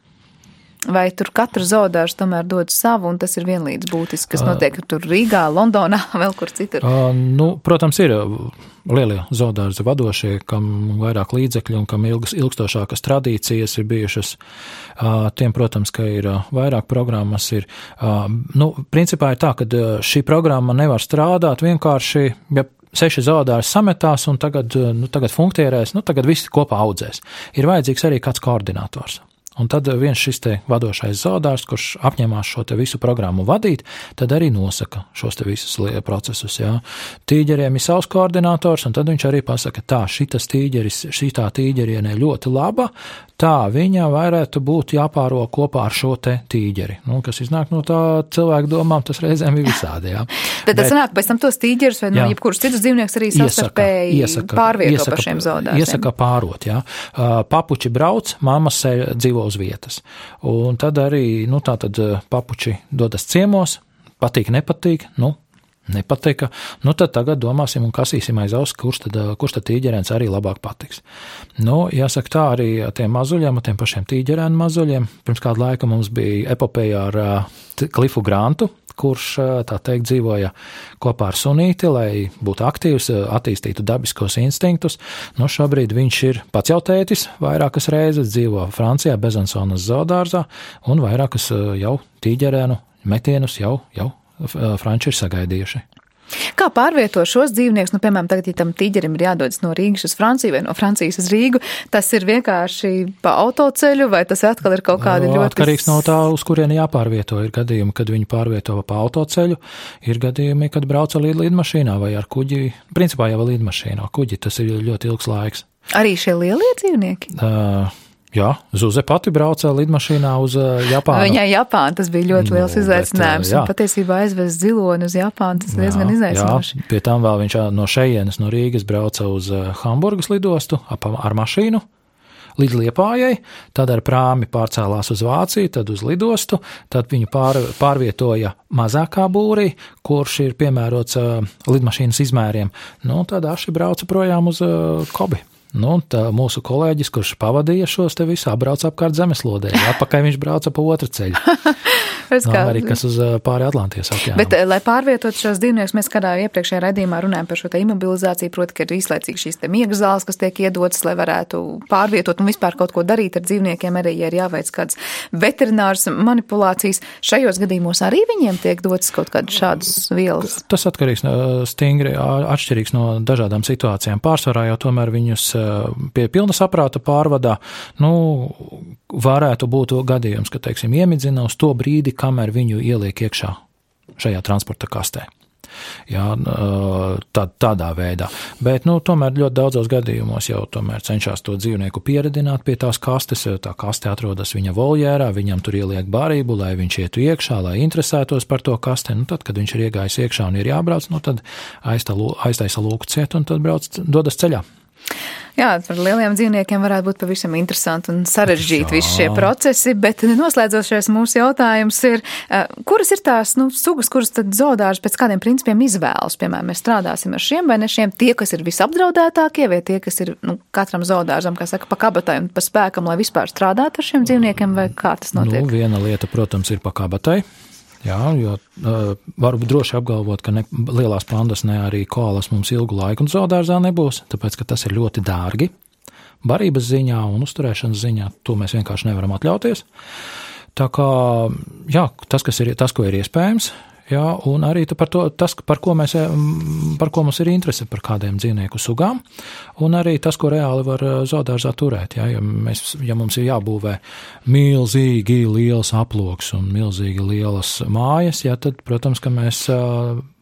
Vai tur katra zoodārs tomēr dod savu, un tas ir vienlīdz būtiski, kas notiek tur Rīgā, Londonā, vēl kur citur? Protams, ir lielie zoodārzi vadošie, kam vairāk līdzekļu un kam ilgstošākas tradīcijas ir bijušas. Tiem, protams, ka ir vairāk programmas. Principā ir tā, ka šī programma nevar strādāt vienkārši, ja 6 zoodārzi sametās un tagad funkcionēs, tagad visi kopā audzēs. Ir vajadzīgs arī kāds koordinators. Un tad viens šis te vadošais zoodārs, kurš apņemās šo te visu programmu vadīt, tad arī nosaka šos te visus procesus, jā. Tīģeriem ir savs koordinators, un tad viņš arī pasaka, šitā tīģerienē ļoti laba, tā viņa varētu būt jāpāro kopā ar šo te tīģeri. Kas iznāk no tā cilvēku domām, tas reizēm ir visādi, jā. Bet tas sanāk pēc tam tos tīģerus vai jebkurus citus dzīvnieks arī savstarpēji pārvieto par šiem zoodārziem? Iesaka pārot, jā. Papuči brauc, mammas dzīvo uz vietas. Un tad arī, tātad papuči dodas ciemos, patīk, nepatīk, nepatika, tad tagad domāsim un kasīsim aiz auss, kurš tad tīģerēns arī labāk patiks. Jāsaka tā arī tiem mazuļiem, tiem pašiem tīģerēnu mazuļiem. Pirms kādu laiku mums bija epopeja ar Cliffu Grantu, kurš, tā teikt, dzīvoja kopā ar sunīti, lai būtu aktīvs, attīstītu dabiskos instinktus. Šobrīd viņš ir pats jau tētis, vairākas reizes dzīvo Francijā, Bezansonas zoodārzā, un vairākas jau tīģerēnu metienus jau franči ir sagaidījuši. Kā pārvieto šos dzīvniekus, piemēram, tagad, ja tam tīģerim ir jādodas no Rīgas uz Franciju vai no Francijas uz Rīgu, tas ir vienkārši pa autoceļu vai tas atkal ir kaut kādi ļoti... Atkarīgs no tā, uz kurieni jāpārvieto. Ir gadījumi, kad viņi pārvieto pa autoceļu, ir gadījumi, kad brauca lidmašīnā vai ar kuģi, principā jau lidmašīnā. Kuģi, tas ir ļoti ilgs laiks. Arī šie lielie dzīvnieki? Jā, Zuze pati brauca lidmašīnā uz Japānu. Viņai Japāna, tas bija ļoti liels izaicinājums, un patiesībā aizvest ziloni uz Japānu, tas diezgan izaicinoši. Pie tam vēl viņš no šejienes, no Rīgas brauca uz Hamburgas lidostu ar mašīnu līdz Liepājai, tad ar prāmi pārcēlās uz Vāciju, tad uz lidostu, tad viņu pārvietoja mazākā būrī, kurš ir piemērots lidmašīnas izmēriem. Tad Aši brauca projām uz Kobi. Tā mūsu kolēģis, kurš pavadīja šos te visu, apbrauca apkārt zemeslodē. Atpakaļ viņš brauca pa otru ceļu. No Amerikas uz pāri Atlantijas okeānam. Bet, lai pārvietot šos dzīvniekus, mēs kādā iepriekšējā raidījumā runājam par šo te imobilizāciju, proti, ka ir īslaicīgi šīs te miega zāles, kas tiek iedotas, lai varētu pārvietot un vispār kaut ko darīt ar dzīvniekiem, arī, ja ir jāveic kādas veterināras manipulācijas. Šajos gadījumos arī viņiem tiek dotas kaut kādas šādas vielas? Tas atkarīgs stingri atšķirīgs no dažādām situācijām. Pārsvarā jau tomēr viņus pie pilna saprāta pārvadā, varētu būt gadījums, ka, teiksim, iemidzina uz to brīdi, kamēr viņu ieliek iekšā šajā transporta kastē. Jā, tādā veidā. Bet, tomēr ļoti daudzos gadījumos jau tomēr cenšas to dzīvnieku pieredināt pie tās kastes, jo tā kaste atrodas viņa voljērā, viņam tur ieliek barību, lai viņš ietu iekšā, lai interesētos par to kaste. Tad, kad viņš ir iegājis iekšā un ir jābrauc, tad aiztaisa lūku ciet un tad dodas ceļā. Jā, par lieliem dzīvniekiem varētu būt pavisam interesanti un sarežģīti visi šie procesi, bet noslēdzošais mūsu jautājums ir, kuras ir tās sugas, kuras tad zoodārs pēc kādiem principiem izvēlas? Piemēram, mēs strādāsim ar šiem vai ne šiem, tie, kas ir visapdraudētākie, vai tie, kas ir katram zoodārzam, kā saka, pa kabatai un pa spēkam, lai vispār strādātu ar šiem dzīvniekiem, vai kā tas notiek? Viena lieta, protams, ir pa kabatai. Jā, jo varu droši apgalvot, ka ne lielās pandas, ne arī koalas mums ilgu laiku un zoodārzā nebūs, tāpēc, ka tas ir ļoti dārgi. Barības ziņā un uzturēšanas ziņā to mēs vienkārši nevaram atļauties. Tā kā, jā, tas, ko ir iespējams, jā, un arī par ko mums ir interese par kādiem dzīvnieku sugām, un arī tas, ko reāli var zoodārzā turēt. Jā, ja mums ir jābūvē milzīgi liels aploks un milzīgi lielas mājas, jā, tad, protams, ka mēs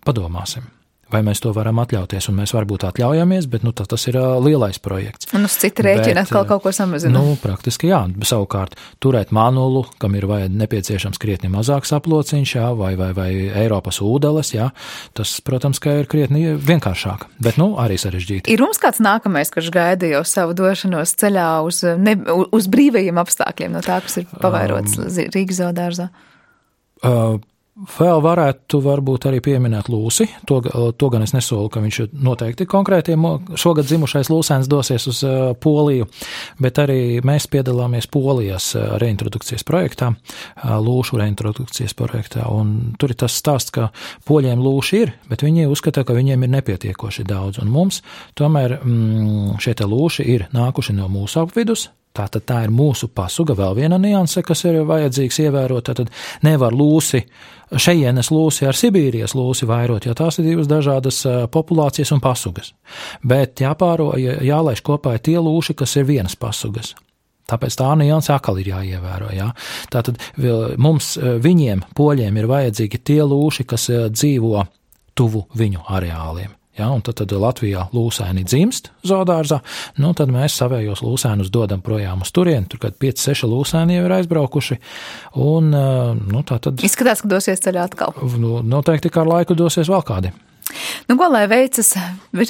padomāsim. Vai mēs to varam atļauties, un mēs varbūt atļaujamies, bet tas ir lielais projekts. Un uz cita rēķina atkal kaut ko samazina. Praktiski jā, savukārt turēt manulu, kam ir nepieciešams krietni mazāks aplociņš, jā, vai Eiropas ūdeles, jā, tas, protams, ka ir krietni vienkāršāk, bet arī sarežģīti. Ir mums kāds nākamais, kurš gaida jau savu došanos ceļā uz brīvajiem apstākļiem no tā, kas ir pavairots Rīgas zoodārzā? Vēl varētu varbūt arī pieminēt lūsi, to gan es nesolu, ka viņš noteikti konkrētiem šogad dzimušais lūsēns dosies uz Poliju, bet arī mēs piedalāmies Polijas reintrodukcijas projektā, lūšu reintrodukcijas projektā, un tur ir tas stāsts, ka poļiem lūši ir, bet viņi uzskata, ka viņiem ir nepietiekoši daudz, un mums tomēr šie te lūši ir nākuši no mūsu apvidus. Tātad tā ir mūsu pasuga, vēl viena nianse, kas ir vajadzīgs ievērot. Tātad nevar šejienes lūsi ar Sibīrijas lūsi vairot, jo tās ir divas dažādas populācijas un pasugas. Bet jālaiž kopā tie lūši, kas ir vienas pasugas. Tāpēc tā nianse atkal ir jāievēro. Jā. Tātad viņiem, poļiem, ir vajadzīgi tie lūši, kas dzīvo tuvu viņu areāliem. Ja, un tad Latvijā lūsēni dzimst zoodārzā, tad mēs savējos lūsēnus dodam projām uz turieni, tur kad 5-6 lūsēni jau ir aizbraukuši, un tā tad... Izskatās, ka dosies ceļā atkal. Noteikti kā ar laiku dosies vēl kādi. Ko lai veicas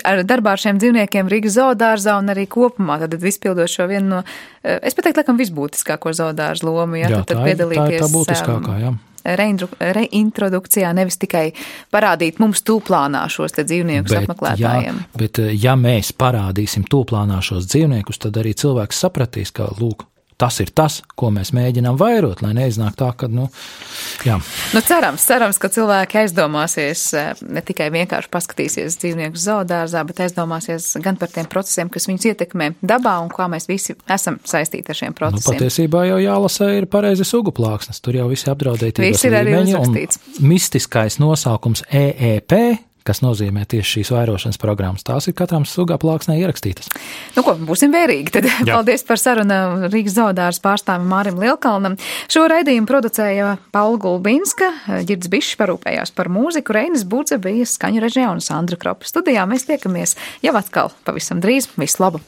ar darbā ar šiem dzīvniekiem Rīgas zoodārzā un arī kopumā, tad izpildot šo vienu no, es pateiktu, laikam visbūtiskāko zoodārzu lomu, ja, jā, tad piedalīties... Tā būtiskākā, jā. Reintrodukcijā, nevis tikai parādīt mums tūplānā šos te dzīvniekus apmeklētājiem. Bet ja mēs parādīsim tūplānā šos dzīvniekus, tad arī cilvēks sapratīs, ka, lūk, tas ir tas, ko mēs mēģinām vairot, lai neiznāk tā, ka, jā. Cerams, ka cilvēki aizdomāsies, ne tikai vienkārši paskatīsies dzīvnieku zoodārzā, bet aizdomāsies gan par tiem procesiem, kas viņus ietekmē dabā un kā mēs visi esam saistīti ar šiem procesiem. Patiesībā jau jālasa ir pareizi sugu plāksnes, tur jau visi apdraudētības līmeņi un mistiskais nosaukums EEP, kas nozīmē tieši šīs vairošanas programmas. Tās ir katram sugā plāksnē ierakstītas. Būsim vērīgi. Tad paldies par sarunu Rīgas zoodārza pārstāvim Mārim Lielkalnam. Šo raidījumu producēja Paula Gulbinska, Ģirds Bišs parūpējās par mūziku, Reinis Budze bija skaņu režijā un Sandra Kropa studijā. Mēs tiekamies jau atkal pavisam drīz. Visu labu!